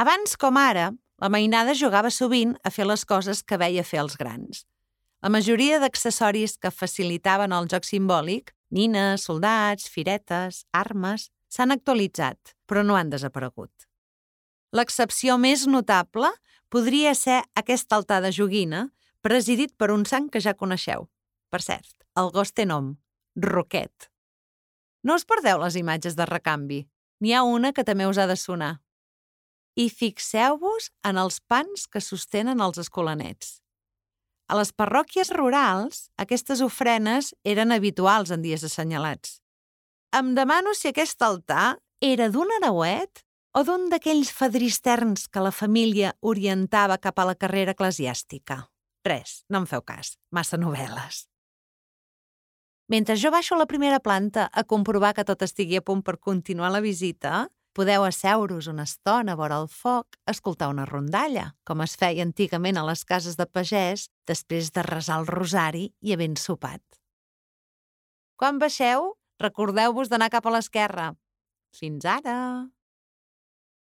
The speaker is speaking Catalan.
Abans com ara, la mainada jugava sovint a fer les coses que veia fer els grans. La majoria d'accessoris que facilitaven el joc simbòlic, nines, soldats, firetes, armes, s'han actualitzat, però no han desaparegut. L'excepció més notable podria ser aquest altar de joguina, presidit per un sant que ja coneixeu. Per cert, el gos té nom, Roquet. No us perdeu les imatges de recanvi. N'hi ha una que també us ha de sonar. I fixeu-vos en els pans que sostenen els escolanets. A les parròquies rurals, aquestes ofrenes eren habituals en dies assenyalats. Em demano si aquest altar era d'un hereuet o d'un d'aquells fadristerns que la família orientava cap a la carrera eclesiàstica. Res, no em feu cas, massa novel·les. Mentre jo baixo a la primera planta a comprovar que tot estigui a punt per continuar la visita, podeu asseure-us una estona vora el foc a escoltar una rondalla, com es feia antigament a les cases de pagès després de resar el rosari i havent sopat. Quan baixeu, recordeu-vos d'anar cap a l'esquerra. Fins ara!